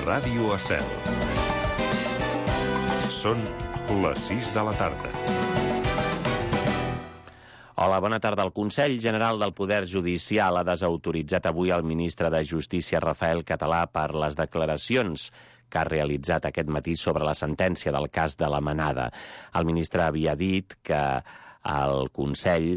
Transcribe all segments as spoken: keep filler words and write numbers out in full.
Ràdio Estel. Són les sis de la tarda. Hola, bona tarda. El Consell General del Poder Judicial ha desautoritzat avui el ministre de Justícia, Rafael Català, per les declaracions que ha realitzat aquest matí sobre la sentència del cas de la Manada. El ministre havia dit que el Consell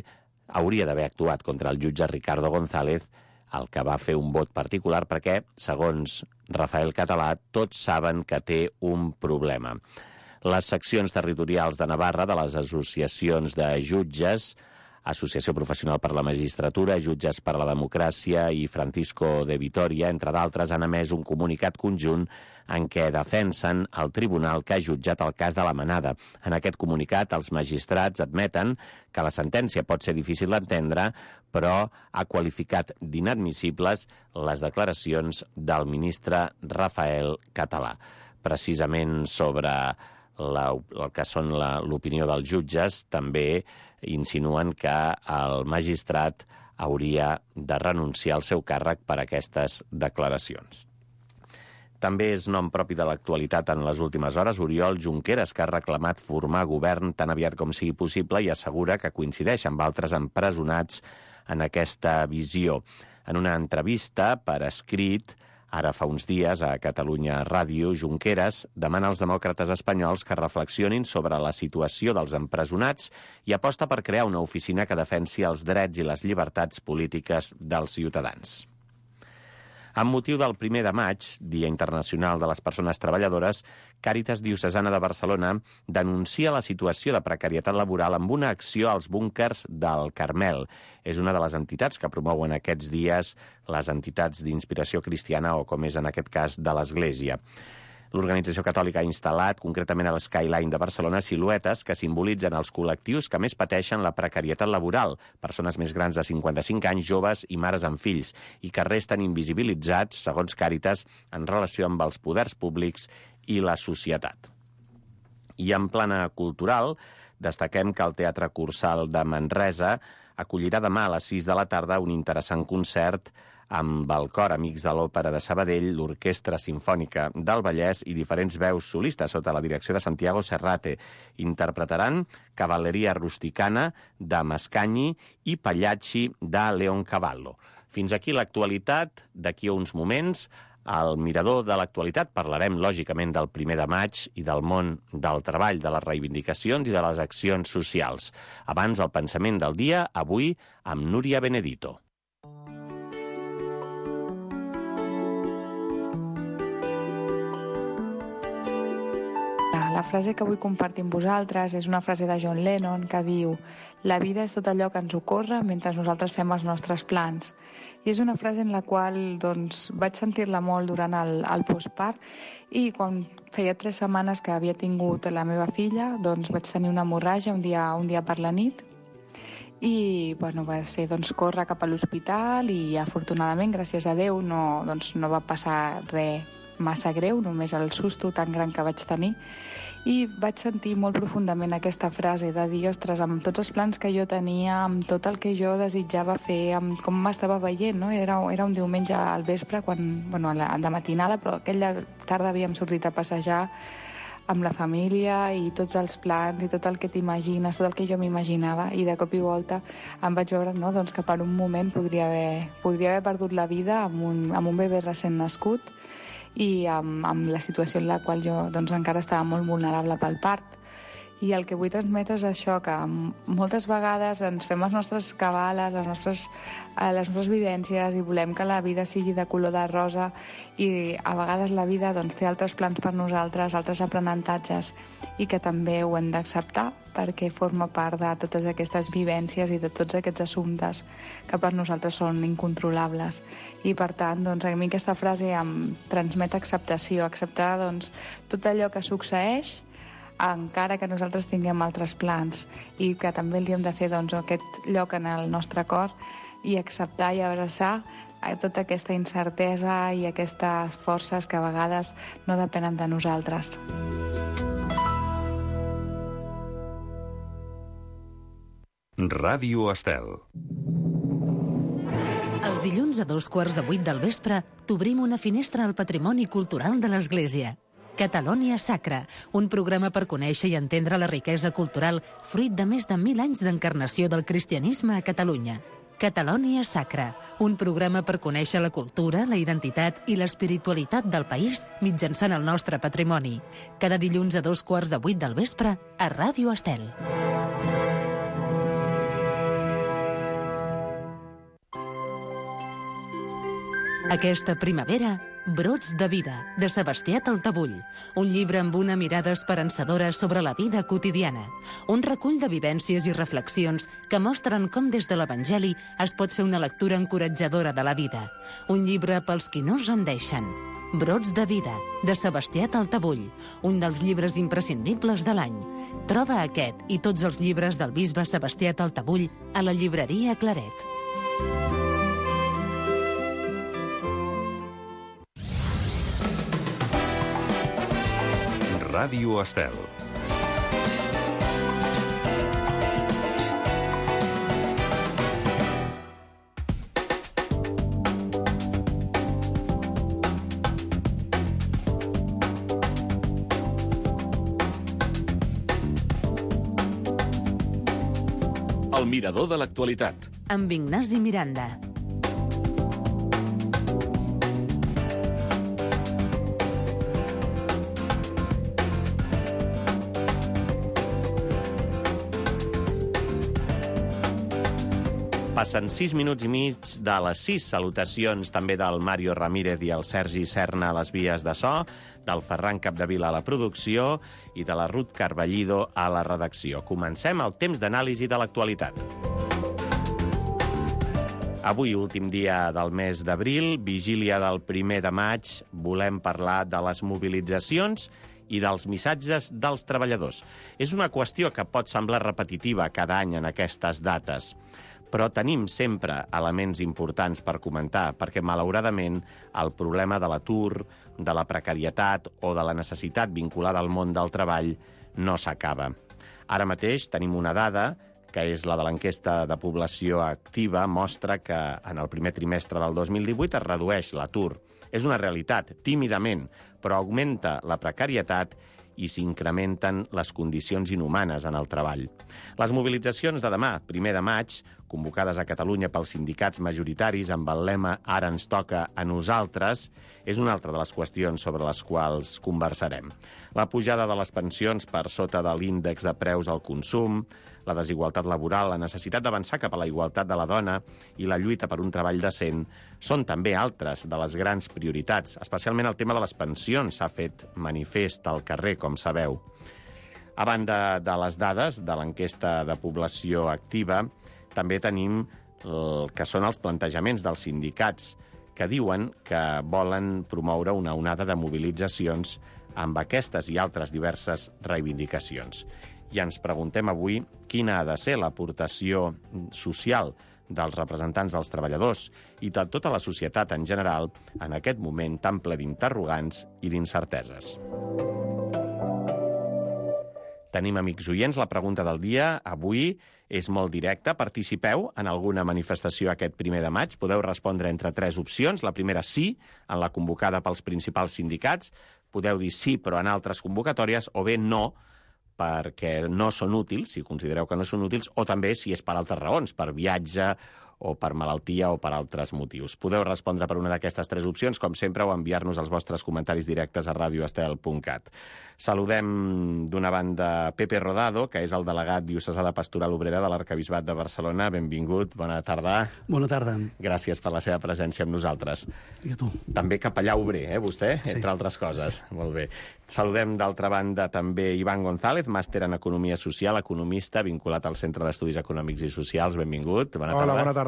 hauria d'haver actuat contra el jutge Ricardo González, el que va fer un vot particular perquè, segons Rafael Català, tots saben que té un problema. Les seccions territorials de Navarra de les associacions de jutges, Associació Professional per la Magistratura, Jutges per la Democràcia i Francisco de Vitoria, entre d'altres, han emès un comunicat conjunt en què defensen el tribunal que ha jutjat el cas de la Manada. En aquest comunicat, els magistrats admeten que la sentència pot ser difícil d'entendre, però ha qualificat d'inadmissibles les declaracions del ministre Rafael Català. Precisament sobre la, el que són l'opinió dels jutges, també insinuen que el magistrat hauria de renunciar al seu càrrec per aquestes declaracions. També és nom propi de l'actualitat en les últimes hores Oriol Junqueras, que ha reclamat formar govern tan aviat com sigui possible i assegura que coincideix amb altres empresonats en aquesta visió. En una entrevista per escrit, ara fa uns dies, a Catalunya Ràdio, Junqueras demana als demòcrates espanyols que reflexionin sobre la situació dels empresonats i aposta per crear una oficina que defensi els drets i les llibertats polítiques dels ciutadans. Amb motiu del primer de maig, Dia Internacional de les Persones Treballadores, Càritas Diocesana de Barcelona denuncia la situació de precarietat laboral amb una acció als búnquers del Carmel. És una de les entitats que promouen aquests dies les entitats d'inspiració cristiana o, com és en aquest cas, de l'Església. L'organització catòlica ha instal·lat, concretament a l'Skyline de Barcelona, siluetes que simbolitzen els col·lectius que més pateixen la precarietat laboral, persones més grans de cinquanta-cinc anys, joves i mares amb fills, i que resten invisibilitzats, segons Càritas, en relació amb els poders públics i la societat. I en plana cultural, destaquem que el Teatre Cursal de Manresa acollirà demà a les sis de la tarda un interessant concert amb el cor Amics de l'Òpera de Sabadell, l'Orquestra Simfònica del Vallès i diferents veus solistes sota la direcció de Santiago Serrate. Interpretaran Cavalleria Rusticana de Mascagni i Pagliacci de Leoncavallo. Fins aquí l'actualitat. D'aquí a uns moments, al Mirador de l'actualitat parlarem, lògicament, del primer de maig i del món del treball, de les reivindicacions i de les accions socials. Abans, el pensament del dia, avui, amb Núria Benedito. La frase que vull compartir amb vosaltres és una frase de John Lennon que diu: la vida és tot allò que ens ocorre mentre nosaltres fem els nostres plans. I és una frase en la qual doncs, vaig sentir-la molt durant el, el postpart, i quan feia tres setmanes que havia tingut la meva filla, doncs vaig tenir una hemorràgia un dia, un dia per la nit, i bueno, va ser doncs, córrer cap a l'hospital i afortunadament, gràcies a Déu, no, doncs, no va passar res massa greu, només el susto tan gran que vaig tenir. I vaig sentir molt profundament aquesta frase de dir, ostres, amb tots els plans que jo tenia, amb tot el que jo desitjava fer, amb com m'estava veient, no? Era, era un diumenge al vespre, quan, bueno, de matinada, però aquella tarda havíem sortit a passejar amb la família i tots els plans i tot el que t'imagines, tot el que jo m'imaginava, i de cop i volta em vaig veure, no, doncs, que per un moment podria haver, podria haver perdut la vida amb un, amb un bebè recent nascut, i amb, amb la situació en la qual jo doncs, encara estava molt vulnerable pel part. I el que vull transmetre és això, que moltes vegades ens fem les nostres cabales, les nostres, eh, les nostres vivències, i volem que la vida sigui de color de rosa, i a vegades la vida doncs, té altres plans per nosaltres, altres aprenentatges, i que també ho hem d'acceptar perquè forma part de totes aquestes vivències i de tots aquests assumptes que per nosaltres són incontrolables. I per tant, doncs, a mi aquesta frase em transmet acceptació, acceptar doncs, tot allò que succeeix, encara que nosaltres tinguem altres plans, i que també li hem de fer doncs, aquest lloc en el nostre cor i acceptar i abraçar tota aquesta incertesa i aquestes forces que a vegades no depenen de nosaltres. Ràdio Estel. Els Els dilluns a dos quarts de vuit del vespre t'obrim una finestra al patrimoni cultural de l'Església. Catalonia Sacra, un programa per conèixer i entendre la riquesa cultural fruit de més de mil anys d'encarnació del cristianisme a Catalunya. Catalonia Sacra, un programa per conèixer la cultura, la identitat i l'espiritualitat del país mitjançant el nostre patrimoni. Cada dilluns a dos quarts de vuit del vespre a Ràdio Estel. Aquesta primavera, Brots de vida, de Sebastià Taltabull. Un llibre amb una mirada esperançadora sobre la vida quotidiana. Un recull de vivències i reflexions que mostren com des de l'Evangeli es pot fer una lectura encoratjadora de la vida. Un llibre pels qui no es rendeixen. Brots de vida, de Sebastià Taltabull. Un dels llibres imprescindibles de l'any. Troba aquest i tots els llibres del bisbe Sebastià Taltabull a la llibreria Claret. Ràdio Estel. El mirador de l'actualitat. Amb Ignasi Miranda. Passen sis minuts i mig de les sis. Salutacions també del Mario Ramírez i el Sergi Serna a les vies de so, del Ferran Capdevila a la producció i de la Ruth Carballido a la redacció. Comencem el temps d'anàlisi de l'actualitat. Avui, últim dia del mes d'abril, vigília del primer de maig, volem parlar de les mobilitzacions i dels missatges dels treballadors. És una qüestió que pot semblar repetitiva cada any en aquestes dates, però tenim sempre elements importants per comentar, perquè, malauradament, el problema de l'atur, de la precarietat o de la necessitat vinculada al món del treball no s'acaba. Ara mateix tenim una dada, que és la de l'enquesta de població activa, mostra que en el primer trimestre del dos mil divuit es redueix l'atur. És una realitat, tímidament, però augmenta la precarietat i s'incrementen les condicions inhumanes en el treball. Les mobilitzacions de demà, primer de maig, convocades a Catalunya pels sindicats majoritaris amb el lema «Ara ens toca a nosaltres», és una altra de les qüestions sobre les quals conversarem. La pujada de les pensions per sota de l'índex de preus al consum, la desigualtat laboral, la necessitat d'avançar cap a la igualtat de la dona i la lluita per un treball decent són també altres de les grans prioritats. Especialment el tema de les pensions s'ha fet manifest al carrer, com sabeu. A banda de les dades de l'enquesta de població activa, també tenim el que són els plantejaments dels sindicats, que diuen que volen promoure una onada de mobilitzacions amb aquestes i altres diverses reivindicacions. I ens preguntem avui quina ha de ser l'aportació social dels representants dels treballadors i de tota la societat en general en aquest moment tan ple d'interrogants i d'incerteses. Tenim amics oients, la pregunta del dia avui és molt directa. Participeu en alguna manifestació aquest primer de maig. Podeu respondre entre tres opcions. La primera, sí, en la convocada pels principals sindicats. Podeu dir sí, però en altres convocatòries, o bé no, perquè no són útils, si considereu que no són útils, o també si és per altres raons, per viatge o per malaltia o per altres motius. Podeu respondre per una d'aquestes tres opcions, com sempre, o enviar-nos els vostres comentaris directes a radio estel punt cat. Saludem d'una banda Pepe Rodado, que és el delegat diocesà de Pastoral Obrera de l'Arquebisbat de Barcelona. Benvingut, bona tarda. Bona tarda. Gràcies per la seva presència amb nosaltres. I a tu. També capellà obrer, eh, vostè, sí, entre altres coses. Sí. Molt bé. Saludem, d'altra banda, també Ivan González, màster en Economia Social, economista, vinculat al Centre d'Estudis Econòmics i Socials. Benvingut. Bona tarda. Hola, bona tarda.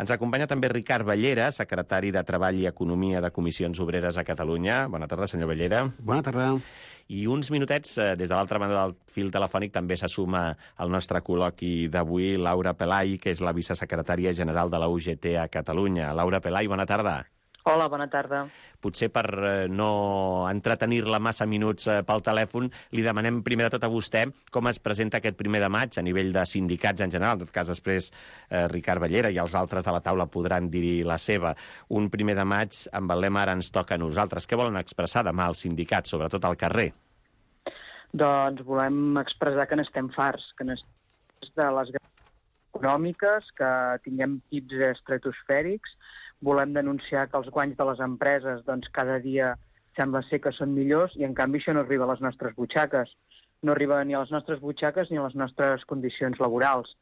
Ens acompanya també Ricard Bellera, secretari de Treball i Economia de Comissions Obreres a Catalunya. Bona tarda, senyor Bellera. Bona tarda. I uns minutets, eh, des de l'altra banda del fil telefònic, també se suma al nostre col·loqui d'avui Laura Pelai, que és la vicesecretària general de la U G T a Catalunya. Laura Pelai, bona tarda. Hola, bona tarda. Potser per eh, no entretenir-la massa minuts eh, pel telèfon, li demanem primer de tot a vostè com es presenta aquest primer de maig a nivell de sindicats en general. En tot cas, després eh, Ricard Bellera i els altres de la taula podran dir la seva. Un primer de maig amb el lema Ara ens toca a nosaltres. Què volen expressar demà els sindicats, sobretot al carrer? Doncs volem expressar que n'estem farts, que n'estem de les econòmiques, que tinguem pics estratosfèrics. Volem denunciar que els guanys de les empreses doncs, cada dia sembla ser que són millors i, en canvi, això no arriba a les nostres butxaques. No arriba ni a les nostres butxaques ni a les nostres condicions laborals.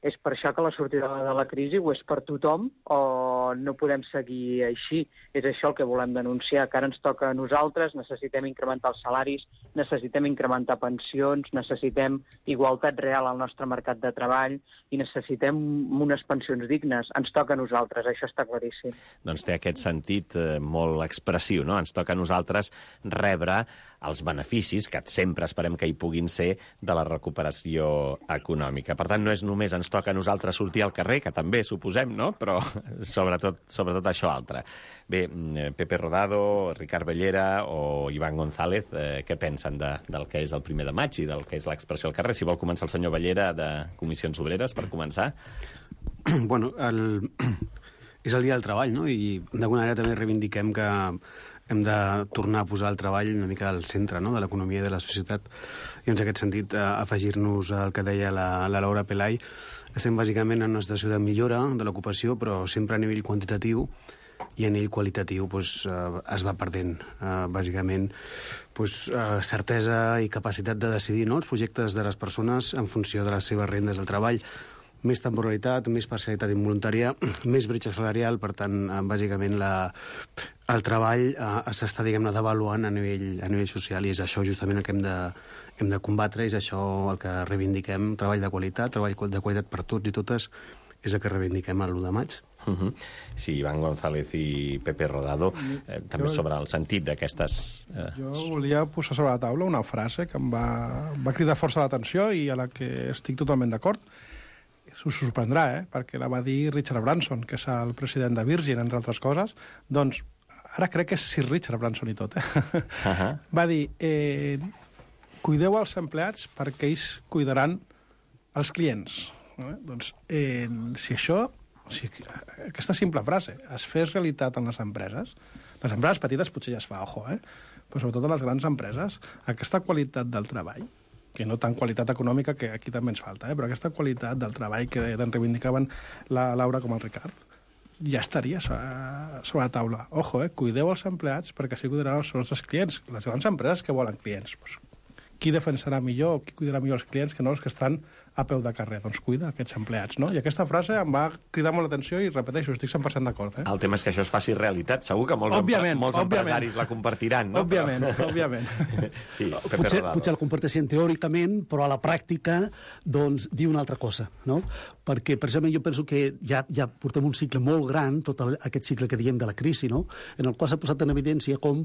És per això que la sortida de la crisi ho és per tothom o no podem seguir així. És això el que volem denunciar, que ara ens toca a nosaltres, necessitem incrementar els salaris, necessitem incrementar pensions, necessitem igualtat real al nostre mercat de treball i necessitem unes pensions dignes. Ens toca a nosaltres, això està claríssim. Doncs té aquest sentit eh, molt expressiu, no? Ens toca a nosaltres rebre els beneficis, que sempre esperem que hi puguin ser, de la recuperació econòmica. Per tant, no és només ens toca a nosaltres sortir al carrer, que també suposem, no? Però sobretot, sobretot això altre. Bé, Pepe Rodado, Ricard Bellera o Iván González, eh, què pensen de, del que és el primer de maig i del que és l'expressió al carrer? Si vol començar el senyor Bellera de Comissions Obreres, per començar. Bueno, el... és el dia del treball, no? I d'alguna manera també reivindiquem que hem de tornar a posar el treball una mica al centre, no?, de l'economia i de la societat. I en aquest sentit, eh, afegir-nos al que deia la, la Laura Pelai. Estem bàsicament en una situació de millora de l'ocupació, però sempre a nivell quantitatiu, i a nivell qualitatiu pues, eh, es va perdent. Eh, bàsicament, pues, eh, certesa i capacitat de decidir, no?, els projectes de les persones en funció de les seves rendes del treball. Més temporalitat, més parcialitat involuntària, més bretxa salarial, per tant, eh, bàsicament la, el treball eh, s'està, diguem-ne, devaluant a nivell, a nivell social, i és això justament el que hem de, hem de combatre, és això el que reivindiquem, treball de qualitat, treball de qualitat per tots i totes, és el que reivindiquem l'u de maig. Uh -huh. Sí, Iván González i Pepe Rodado, eh, també jo, sobre el sentit d'aquestes... Eh... Jo volia posar sobre la taula una frase que em va, va cridar força l'atenció i a la que estic totalment d'acord. Us sorprendrà, eh? Perquè la va dir Richard Branson, que és el president de Virgin, entre altres coses. Doncs ara crec que és Sir Richard Branson i tot, eh? Uh -huh. Va dir, eh, cuideu els empleats perquè ells cuidaran els clients. Eh? Doncs, eh, si això, si aquesta simple frase es fes realitat en les empreses, les empreses petites potser ja es fa, ojo, eh? Però sobretot en les grans empreses, aquesta qualitat del treball, que no tant qualitat econòmica, que aquí també ens falta, eh? Però aquesta qualitat del treball que tant reivindicaven la Laura com el Ricard, ja estaria sobre la taula. Ojo, eh? Cuideu els empleats perquè així cuidaran els nostres clients. Les grans empreses que volen clients. Pues, qui defensarà millor, qui cuidarà millor els clients que no els que estan a peu de carrer? Doncs cuida aquests empleats, no? I aquesta frase em va cridar molt l'atenció i, repeteixo, estic cent per cent d'acord. Eh? El tema és que això es faci realitat. Segur que molts, òbviament, molts òbviament. empresaris la compartiran, no? Òbviament, però... òbviament. Sí, Pepe potser, Rodado. potser el comparteixen teòricament, però a la pràctica doncs, diu una altra cosa, no? Perquè, precisament, jo penso que ja, ja portem un cicle molt gran, tot el, aquest cicle que diem de la crisi, no?, en el qual s'ha posat en evidència com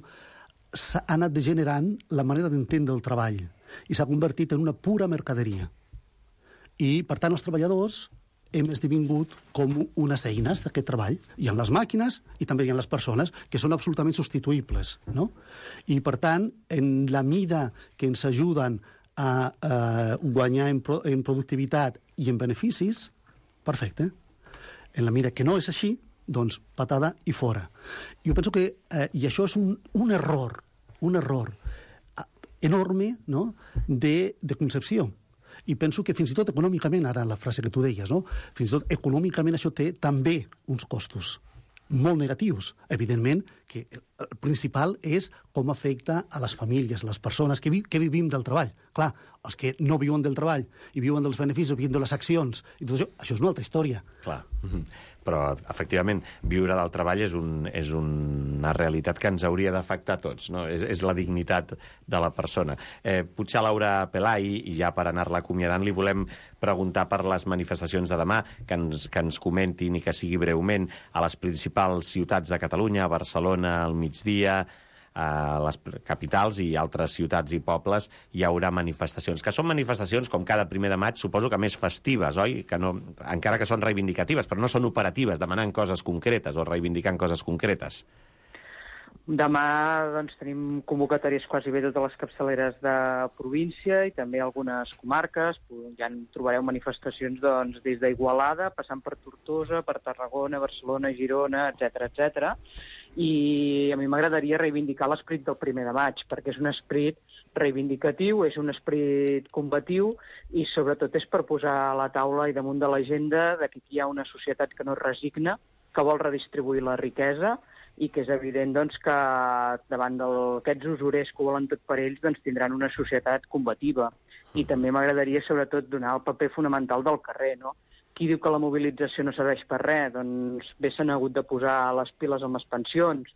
s'ha anat degenerant la manera d'entendre el treball i s'ha convertit en una pura mercaderia. I, per tant, els treballadors hem esdevingut com unes eines d'aquest treball. Hi ha les màquines i també hi ha les persones, que són absolutament substituïbles, no? I, per tant, en la mida que ens ajuden a, a guanyar en, pro, en productivitat i en beneficis, perfecte. En la mida que no és així, doncs patada i fora. Jo penso que, eh, i això és un, un error, un error enorme, no?, de, de concepció. I penso que fins i tot econòmicament, ara la frase que tu deies, no?, fins i tot econòmicament això té també uns costos molt negatius. Evidentment que el principal és com afecta a les famílies, a les persones que, vi que vivim del treball. Clar, els que no viuen del treball i viuen dels beneficis, viuen de les accions, i tot això, això és una altra història. Clar. Però, efectivament, viure del treball és, un, és una realitat que ens hauria d'afectar a tots, no? És, és la dignitat de la persona. Eh, potser a Laura Pelai, i ja per anar-la acomiadant, li volem preguntar per les manifestacions de demà, que ens, que ens comentin i que sigui breument a les principals ciutats de Catalunya, a Barcelona al migdia, a les capitals i altres ciutats i pobles hi haurà manifestacions, que són manifestacions com cada primer de maig, suposo que més festives, oi? Que no, encara que són reivindicatives, però no són operatives, demanant coses concretes o reivindicant coses concretes. Demà doncs, tenim convocatòries quasi bé totes les capçaleres de província i també algunes comarques. Ja en trobareu manifestacions doncs, des d'Igualada, passant per Tortosa, per Tarragona, Barcelona, Girona, etcètera, etcètera. I a mi m'agradaria reivindicar l'esperit del primer de maig, perquè és un esperit reivindicatiu, és un esperit combatiu i sobretot és per posar a la taula i damunt de l'agenda de que aquí hi ha una societat que no es resigna, que vol redistribuir la riquesa i que és evident doncs, que davant d'aquests usurers que ho volen tot per ells doncs, tindran una societat combativa. I també m'agradaria sobretot donar el paper fonamental del carrer, no? Qui diu que la mobilització no serveix per res? Doncs bé s'han hagut de posar les piles amb les pensions,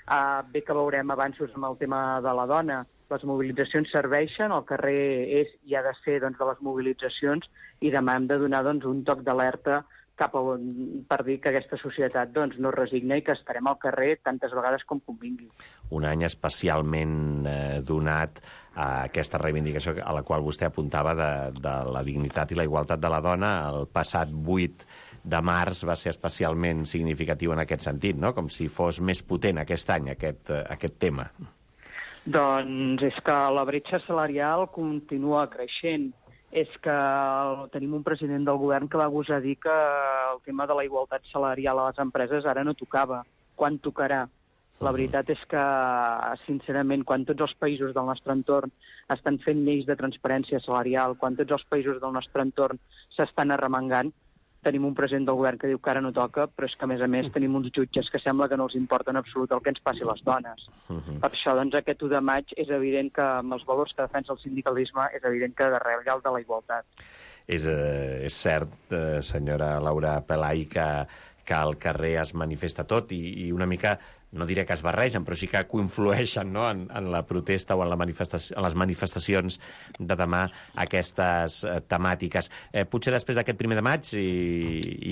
uh, bé que veurem avanços amb el tema de la dona. Les mobilitzacions serveixen, el carrer és i ha de ser doncs, de les mobilitzacions i demà hem de donar doncs, un toc d'alerta cap a on, per dir que aquesta societat doncs, no es resigna i que estarem al carrer tantes vegades com convingui. Un any especialment eh, donat a aquesta reivindicació a la qual vostè apuntava de, de la dignitat i la igualtat de la dona. El passat vuit de març va ser especialment significatiu en aquest sentit, no? Com si fos més potent aquest any, aquest, aquest tema. Doncs és que la bretxa salarial continua creixent. És que tenim un president del govern que va gosar dir que el tema de la igualtat salarial a les empreses ara no tocava. Quan tocarà? La veritat és que, sincerament, quan tots els països del nostre entorn estan fent lleis de transparència salarial, quan tots els països del nostre entorn s'estan arremangant, tenim un president del govern que diu que ara no toca, però és que, a més a més, tenim uns jutges que sembla que no els importa en absolut el que ens passi a les dones. Uh-huh. Per això, doncs, aquest u de maig és evident que, amb els valors que defensa el sindicalisme, és evident que darrere hi ha el de la igualtat. És, eh, és cert, eh, senyora Laura Pelai, que, que al carrer es manifesta tot i, i una mica, no diré que es barregen, però sí que coinflueixen, no?, en, en la protesta o en, la manifestació, en les manifestacions de demà aquestes eh, temàtiques. Eh, potser després d'aquest primer de maig, i,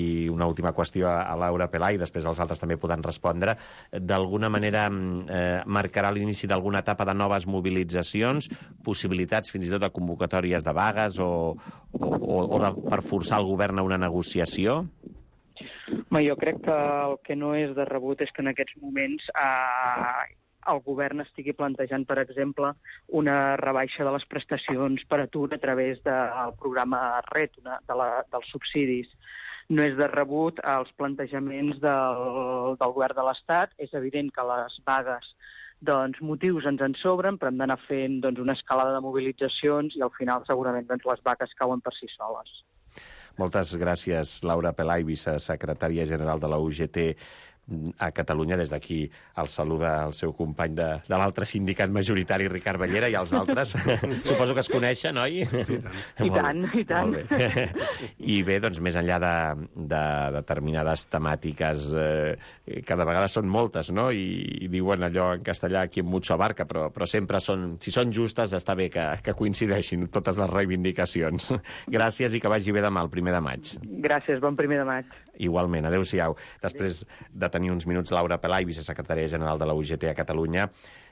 i una última qüestió a, a Laura Pelai, després els altres també podran respondre, d'alguna manera eh, marcarà l'inici d'alguna etapa de noves mobilitzacions, possibilitats fins i tot de convocatòries de vagues o, o, o de, per forçar el govern a una negociació? Home, jo crec que el que no és de rebut és que en aquests moments eh, el govern estigui plantejant, per exemple, una rebaixa de les prestacions per atur a través del programa R E T, una, de la, dels subsidis. No és de rebut els plantejaments del, del govern de l'Estat. És evident que les vagues, doncs, motius ens en sobren, però hem d'anar fent doncs, una escalada de mobilitzacions i al final segurament doncs, les vagues cauen per si soles. Moltes gràcies, Laura Pelai, vicesecretària general de la U G T a Catalunya. Des d'aquí el saluda el seu company de, de l'altre sindicat majoritari, Ricard Bellera, i els altres. Suposo que es coneixen, oi? I tant, i tant. I tant. Molt bé. I bé, doncs, més enllà de, de determinades temàtiques eh, que de vegades són moltes, no?, I, i diuen allò en castellà, qui en mucho abarca, però, però sempre són, si són justes, està bé que, que coincideixin totes les reivindicacions. Gràcies i que vagi bé demà, el primer de maig. Gràcies, bon primer de maig. Igualment, adéu-siau. Després de tenir uns minuts, Laura Pelai, vicesecretària general de la U G T a Catalunya,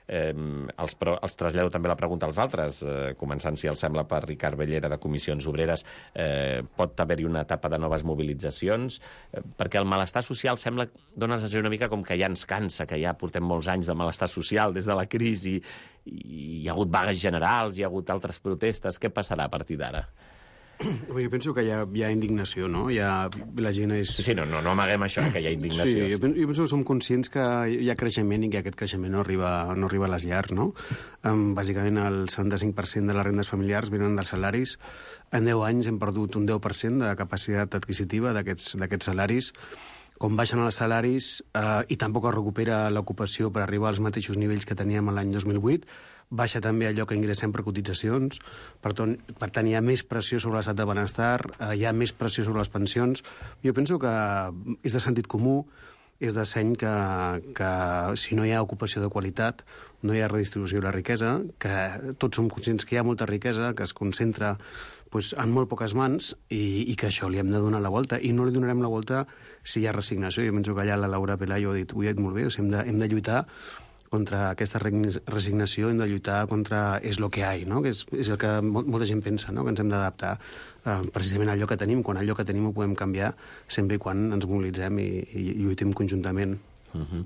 eh, els, pro, els trasllado també la pregunta als altres, eh, començant, si els sembla, per Ricard Bellera, de Comissions Obreres. Eh, pot haver-hi una etapa de noves mobilitzacions? Eh, perquè el malestar social sembla, dona la sensació una mica com que ja ens cansa, que ja portem molts anys de malestar social des de la crisi, i hi ha hagut vagues generals, hi ha hagut altres protestes. Què passarà a partir d'ara? Jo penso que hi ha, hi ha indignació, no? Hi ha, la gent és... Sí, sí, no, no, no amaguem això, que hi ha indignació. Sí, jo penso, jo penso que som conscients que hi ha creixement i que aquest creixement no arriba, no arriba a les llars, no? Um, bàsicament, el setanta-cinc per cent de les rendes familiars venen dels salaris. En deu anys hem perdut un deu per cent de capacitat adquisitiva d'aquests salaris. Com baixen els salaris eh, i tampoc es recupera l'ocupació per arribar als mateixos nivells que teníem l'any dos mil vuit, baixa també allò que ingressem per cotitzacions, per tant, per tant hi ha més pressió sobre l'estat de benestar, eh, hi ha més pressió sobre les pensions. Jo penso que és de sentit comú, és de seny que, que si no hi ha ocupació de qualitat, no hi ha redistribució de la riquesa, que tots som conscients que hi ha molta riquesa, que es concentra pues, en molt poques mans i, i que això li hem de donar la volta. I no li donarem la volta si hi ha resignació. Jo penso que allà la Laura Pelai ho ha dit, ho ha dit molt bé, o sigui, hem, de, hem de lluitar contra aquesta resignació, hem de lluitar contra és lo que hi ha, no? Que és, és el que molta gent pensa, no? Que ens hem d'adaptar eh, precisament a allò que tenim, quan allò que tenim ho podem canviar sempre i quan ens mobilitzem i, i lluitem conjuntament. Uh-huh.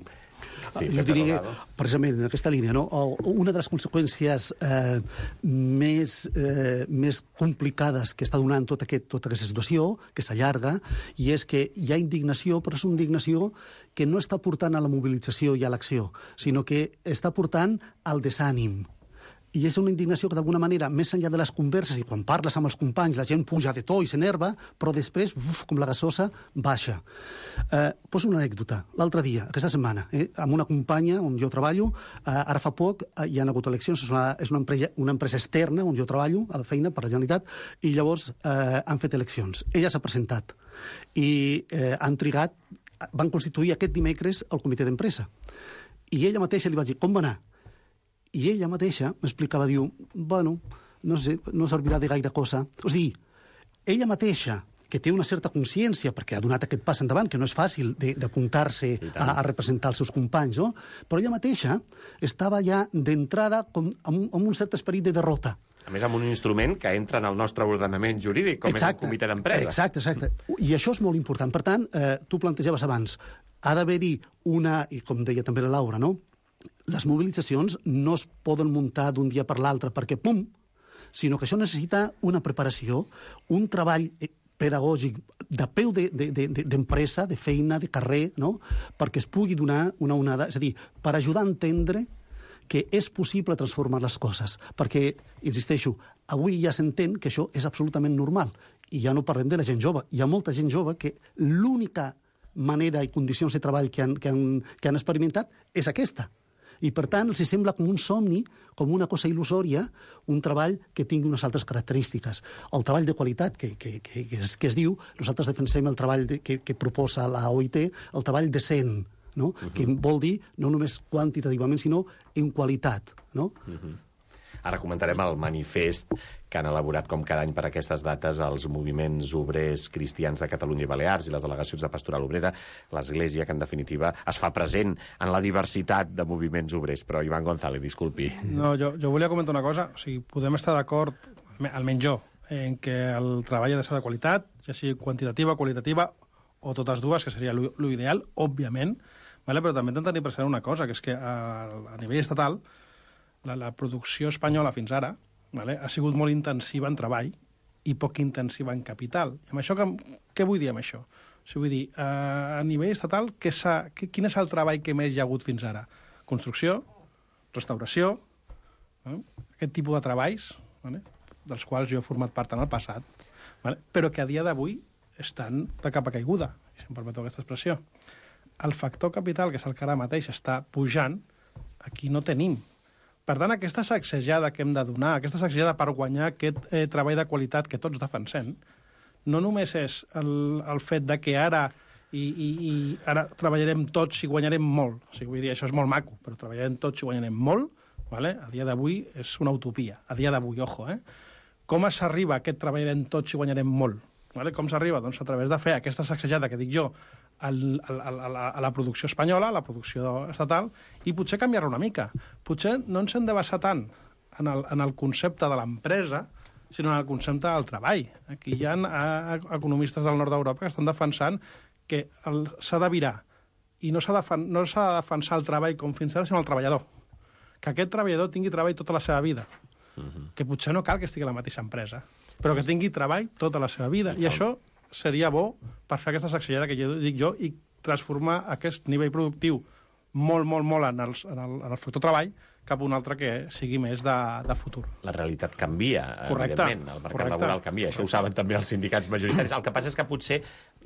Sí, jo diria que, precisament, en aquesta línia, no? Una de les conseqüències eh, més, eh, més complicades que està donant tot aquest, tota aquesta situació, que s'allarga, i és que hi ha indignació, però és una indignació que no està portant a la mobilització i a l'acció, sinó que està portant al desànim. I és una indignació que, d'alguna manera, més enllà de les converses, i quan parles amb els companys, la gent puja de to i s'enerva, però després, uf, com la gasosa, baixa. Eh, poso una anècdota. L'altre dia, aquesta setmana, eh, amb una companya on jo treballo, eh, ara fa poc eh, hi ha hagut eleccions, és, una, és una, empresa, una empresa externa on jo treballo, a la feina, per la Generalitat, i llavors eh, han fet eleccions. Ella s'ha presentat i eh, han trigat, van constituir aquest dimecres el comitè d'empresa. I ella mateixa li va dir, com va anar? I ella mateixa m'explicava, diu, bueno, no sé, no servirà de gaire cosa. O sigui, ella mateixa, que té una certa consciència, perquè ha donat aquest pas endavant, que no és fàcil d'apuntar-se a, a representar els seus companys, no? Però ella mateixa estava ja d'entrada com, amb, amb un cert esperit de derrota. A més, amb un instrument que entra en el nostre ordenament jurídic, com exacte, és el comitè d'empresa. Exacte, exacte. I això és molt important. Per tant, eh, tu plantejaves abans, ha d'haver-hi una, i com deia també la Laura, no?, les mobilitzacions no es poden muntar d'un dia per l'altre perquè pum, sinó que això necessita una preparació, un treball pedagògic de peu d'empresa, de, de, de feina, de carrer, no?, perquè es pugui donar una onada, és a dir, per ajudar a entendre que és possible transformar les coses. Perquè, insisteixo, avui ja s'entén que això és absolutament normal. I ja no parlem de la gent jove. Hi ha molta gent jove que l'única manera i condicions de treball que han, que han, que han experimentat és aquesta. I, per tant, els sembla com un somni, com una cosa il·lusòria, un treball que tingui unes altres característiques. El treball de qualitat, que, que, que, que, es, que es diu, nosaltres defensem el treball de, que, que proposa la O I T, el treball decent, no? Uh-huh. Que vol dir no només quantitativament, sinó en qualitat, no? Uh-huh. Ara comentarem el manifest que han elaborat com cada any per aquestes dates els moviments obrers cristians de Catalunya i Balears i les delegacions de Pastoral Obrera, l'Església, que en definitiva es fa present en la diversitat de moviments obrers. Però Ivan González, disculpi. No, jo, jo volia comentar una cosa. O sigui, podem estar d'acord, almenys jo, en que el treball ha de ser de qualitat, ja sigui quantitativa, qualitativa, o totes dues, que seria l'ideal, òbviament, vale? Però també hem de tenir present una cosa, que és que a, a nivell estatal La, la producció espanyola fins ara, vale, ha sigut molt intensiva en treball i poc intensiva en capital. I amb això, que, què vull dir amb això? O sigui, vull dir, a, a nivell estatal, què què, quin és el treball que més hi ha hagut fins ara? Construcció, restauració, eh? Aquest tipus de treballs, vale, dels quals jo he format part en el passat, vale, però que a dia d'avui estan de capa caiguda, si em permeteu aquesta expressió. El factor capital, que és el que ara mateix està pujant, aquí no tenim. Per tant, aquesta sacsejada que hem de donar, aquesta sacsejada per guanyar aquest eh, treball de qualitat que tots defensem, no només és el, el fet de que ara i, i, i ara treballarem tots i guanyarem molt. O sigui, vull dir, això és molt maco, però treballarem tots i guanyarem molt, vale? A dia d'avui és una utopia. A dia d'avui, ojo, eh? Com s'arriba a aquest treballarem tots i guanyarem molt? Vale? Com s'arriba? Doncs a través de fer aquesta sacsejada que dic jo al, al, al, a, la, a la producció espanyola, a la producció estatal, i potser canviar-la una mica. Potser no ens hem de basar tant en el, en el concepte de l'empresa, sinó en el concepte del treball. Aquí hi ha a, a economistes del nord d'Europa que estan defensant que s'ha de virar i no s'ha de, no s'ha de defensar el treball com fins ara, sinó el treballador. Que aquest treballador tingui treball tota la seva vida. Uh-huh. Que potser no cal que estigui a la mateixa empresa, però que tingui treball tota la seva vida. I això seria bo per fer aquesta sacsejada que jo dic jo i transformar aquest nivell productiu molt, molt, molt en, els, en, el, en el factor treball cap a un altre que sigui més de, de futur. La realitat canvia, correcte, evidentment. El mercat correcte, laboral canvia. Això correcte. Ho saben també els sindicats majoritaris. El que passa és que potser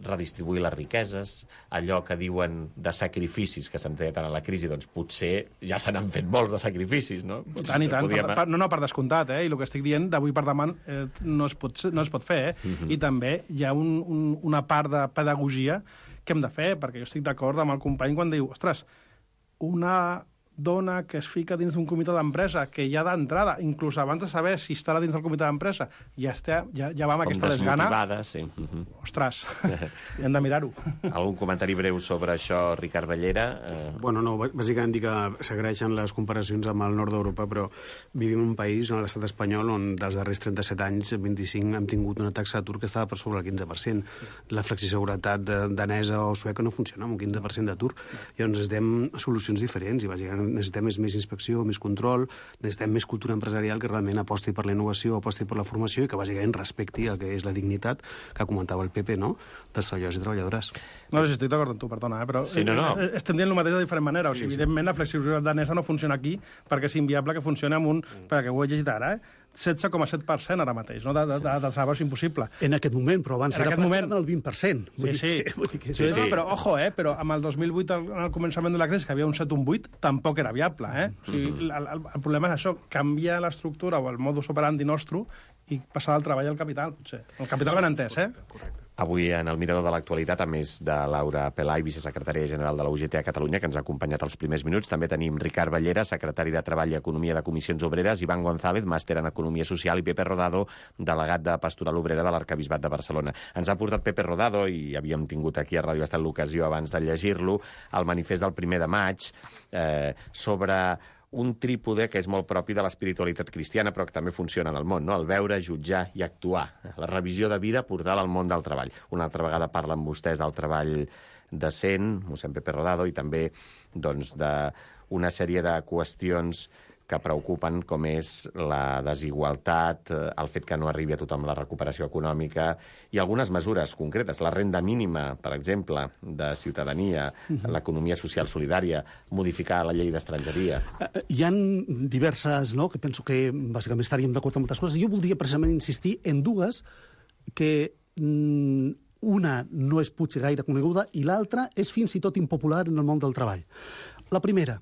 redistribuir les riqueses, allò que diuen de sacrificis que s'han fet en la crisi, doncs potser ja se n'han fet molts de sacrificis, no? I tant, i tant. Podríem... Per, per, no, no, per descomptat, eh? I el que estic dient d'avui per demà eh, no, es pot, no es pot fer, eh? Uh-huh. I també hi ha un, un, una part de pedagogia que hem de fer, perquè jo estic d'acord amb el company quan diu, ostres, una dona que es fica dins d'un comitè d'empresa, que ja d'entrada, inclús abans de saber si estarà dins del comitè d'empresa, ja, està, ja, ja va amb aquesta desgana... Com desmotivada, sí. Uh -huh. Ostres, hem de mirar-ho. Algun comentari breu sobre això, Ricard Bellera? Eh... Bueno, no, bàsicament dir que s'agraeixen les comparacions amb el nord d'Europa, però vivim en un país, en l'estat espanyol, on dels darrers trenta-set anys, vint-i-cinc, hem tingut una taxa d'atur que estava per sobre el quinze per cent. La flexiseguretat danesa o sueca no funciona amb un quinze per cent d'atur. Llavors necessitem solucions diferents i bàsicament necessitem més, més inspecció, més control, necessitem més cultura empresarial que realment aposti per la innovació, aposti per la formació i que bàsicament respecti el que és la dignitat que comentava el Pepe, no?, dels treballadors i treballadores. No, si estic d'acord amb tu, perdona, eh? Però sí, no, no. estem dient el mateix de diferent manera. O sigui, sí, sí. Evidentment, la flexibilitat danesa no funciona aquí perquè és inviable que funcioni amb un... Mm. Perquè ho he llegit ara, eh? setze coma set per cent ara mateix, no? De, de, de, de salari és impossible. En aquest moment, però abans en era moment... el vint per cent. Sí, sí. Vull dir que, sí, sí. No, però, ojo, eh? Però amb el dos mil vuit, al, al començament de la crisi, que havia un set un vuit, tampoc era viable, eh? O sigui, mm-hmm. el, el, el problema és això, canviar l'estructura o el modus operandi nostre i passar del treball al capital, potser. El capital ben entès, eh? Correcte. Avui, en el Mirador de l'Actualitat, a més de Laura Pelai, vicesecretària general de la U G T a Catalunya, que ens ha acompanyat els primers minuts, també tenim Ricard Bellera, secretari de Treball i Economia de Comissions Obreres, Ivan González, màster en Economia Social, i Pepe Rodado, delegat de Pastoral Obrera de l'Arquebisbat de Barcelona. Ens ha portat Pepe Rodado, i havíem tingut aquí a Ràdio Estat l'ocasió abans de llegir-lo, el manifest del primer de maig, eh, sobre un trípode que és molt propi de l'espiritualitat cristiana, però que també funciona en el món, no? El veure, jutjar i actuar. La revisió de vida portada al món del treball. Una altra vegada parlen vostès del treball decent, mossèn Pepe Rodado, i també doncs, d'una sèrie de qüestions que preocupen, com és la desigualtat, el fet que no arribi a tothom la recuperació econòmica, i algunes mesures concretes. La renda mínima, per exemple, de ciutadania, l'economia social solidària, modificar la llei d'estrangeria. Hi ha diverses, no?, que penso que bàsicament estaríem d'acord amb moltes coses. Jo voldria precisament insistir en dues que una no és potser gaire coneguda i l'altra és fins i tot impopular en el món del treball. La primera,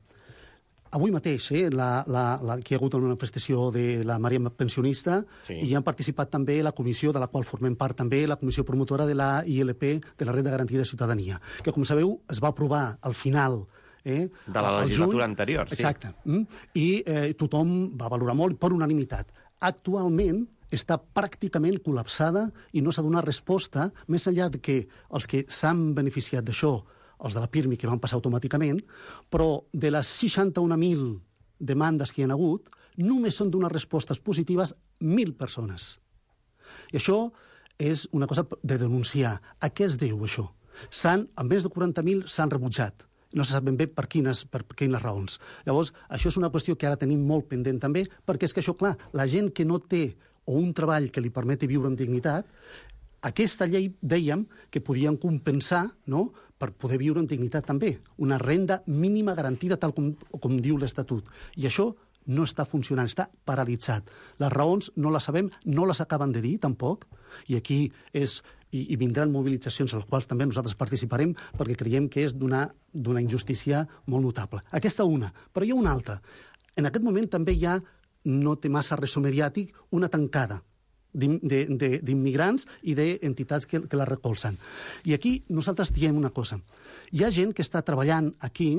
avui mateix, eh, la, la, la, que hi ha hagut una manifestació de la Maria Pensionista, sí, i hi han participat també la comissió, de la qual formem part també, la comissió promotora de la I L P, de la Renda Garantida de Ciutadania, que, com sabeu, es va aprovar al final eh, de la legislatura anterior. Sí. Exacte. Mm? I eh, tothom va valorar molt per unanimitat. Actualment està pràcticament col·lapsada i no s'ha donat resposta, més enllà de que els que s'han beneficiat d'això, els de la Pirmi, que van passar automàticament, però de les seixanta-un mil demandes que hi ha hagut, només són donar respostes positives mil persones. I això és una cosa de denunciar. A què es deu, això? S'han, a més de quaranta mil s'han rebutjat. No se sap ben bé per quines, per quines raons. Llavors, això és una qüestió que ara tenim molt pendent també, perquè és que això, clar, la gent que no té o un treball que li permeti viure amb dignitat, aquesta llei, dèiem, que podien compensar, no?, per poder viure amb dignitat també. Una renda mínima garantida, tal com, com diu l'Estatut. I això no està funcionant, està paralitzat. Les raons no les sabem, no les acaben de dir, tampoc, i aquí és, i, i vindran mobilitzacions a les quals també nosaltres participarem, perquè creiem que és d'una d'una injustícia molt notable. Aquesta una. Però hi ha una altra. En aquest moment també hi ha, no té massa ressò mediàtic, una tancada d'immigrants i d'entitats que, que la recolzen. I aquí nosaltres diem una cosa. Hi ha gent que està treballant aquí,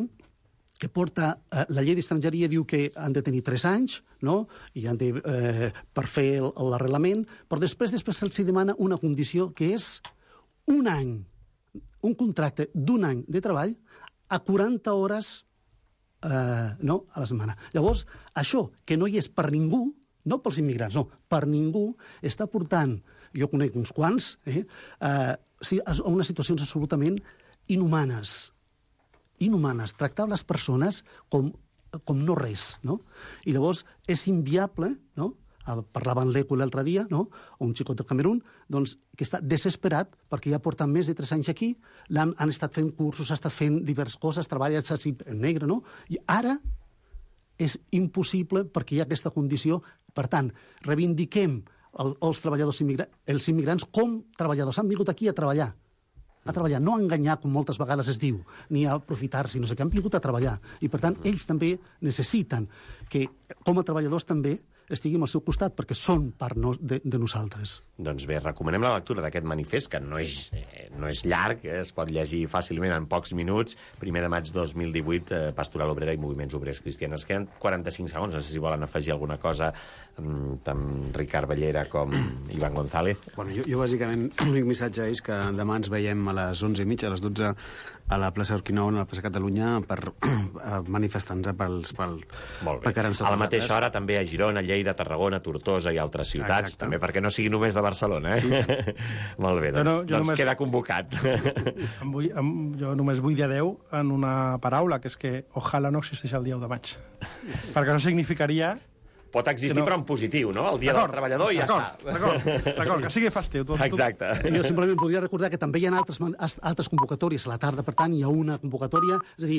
que porta... Eh, la llei d'estrangeria diu que han de tenir tres anys, no?, i han de, eh, per fer l'arrelament, però després després se'ls demana una condició que és un any, un contracte d'un any de treball a quaranta hores eh, no, a la setmana. Llavors, això, que no hi és per ningú, no pels immigrants, no, per ningú, està portant, jo conec uns quants, eh, eh, a unes situacions absolutament inhumanes. Inhumanes. Tractar les persones com, com no res, no? I llavors és inviable, no? Parlava en l'Eco l'altre dia, no?, un xicot del Camerún, doncs, que està desesperat perquè ja porta més de tres anys aquí, han, han estat fent cursos, ha estat fent diverses coses, treballa així en negre, no? I ara és impossible perquè hi ha aquesta condició. Per tant, reivindiquem el, els treballadors immigrants, els immigrants com treballadors. Han vingut aquí a treballar, a treballar, no a enganyar, com moltes vegades es diu, ni a aprofitar-se, no sé què, han vingut a treballar. I, per tant, ells també necessiten que, com a treballadors també, estiguem al seu costat, perquè són part no, de, de nosaltres. Doncs bé, recomanem la lectura d'aquest manifest, que no és, eh, no és llarg, eh, es pot llegir fàcilment en pocs minuts. Primer de maig dos mil divuit, eh, Pastoral Obrera i Moviments Obrers Cristians. Queden quaranta-cinc segons, no sé si volen afegir alguna cosa, mm, tant Ricard Bellera com Ivan González. Bueno, jo, jo bàsicament, l'únic missatge és que demà ens veiem a les onze i mitja, a les dotze, a la plaça Urquinaona, a la plaça Catalunya, per manifestar-nos pels, pel, Molt bé. A la mateixa hora també a Girona, Lleida, Tarragona, Tortosa i altres ciutats, exacte, també perquè no sigui només de Barcelona, eh? Molt bé, doncs, no, doncs només... queda convocat. Em vull, em, jo només vull dir adeu en una paraula, que és que ojalà no existeix el dia u de maig. Perquè no significaria... Pot existir, no, però en positiu, no? El dia del treballador i ja està. D'acord, d'acord, que sigui festiu. Tu, exacte. Tu... Jo simplement podria recordar que també hi ha altres, altres convocatòries a la tarda, per tant, hi ha una convocatòria, és a dir,